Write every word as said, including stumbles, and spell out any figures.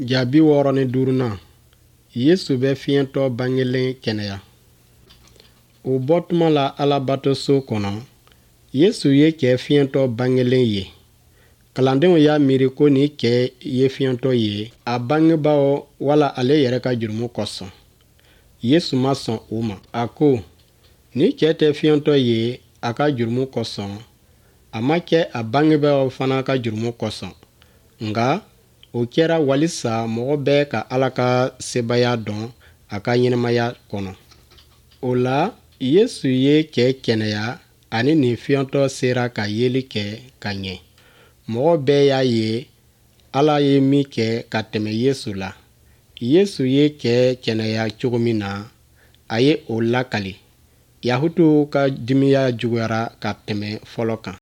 Ja bi wɔɔrɔ ni duurunan Yesu bɛ fiyɛntɔ bangelen kɛnɛya. O bɔtuma la Alabatoso kɔnɔ, Yesu ye cɛ fiyɛntɔ bangelen ye. Kalandenw y'a miiri ko nin cɛ ye fiyɛntɔ ye a bangebaaw wala ale yɛrɛ ka jurumu kosɔn. Yesu ma sɔn o ma. A ko, nin cɛ tɛ fiyɛntɔ ye a ka jurumu kosɔn, a ma kɛ a bangebaaw fana ka jurumu kosɔn, nka o kɛra walisa mɔgɔ bɛɛ ka Ala ka sebaaya dɔn a ka ɲɛnamaya kɔnɔ. O la, Yesu ye cɛ kɛnɛya ani nin fiyɛntɔ sera ka yeli kɛ ka ɲɛ. Mɔgɔ bɛɛ y'a ye Ala ye min kɛ ka tɛmɛ Yesu la. Yesu ye cɛ kɛnɛya cogo min na, a ye o lakali. Yahutuw ka dimiya juguyara ka tɛmɛ fɔlɔ kan.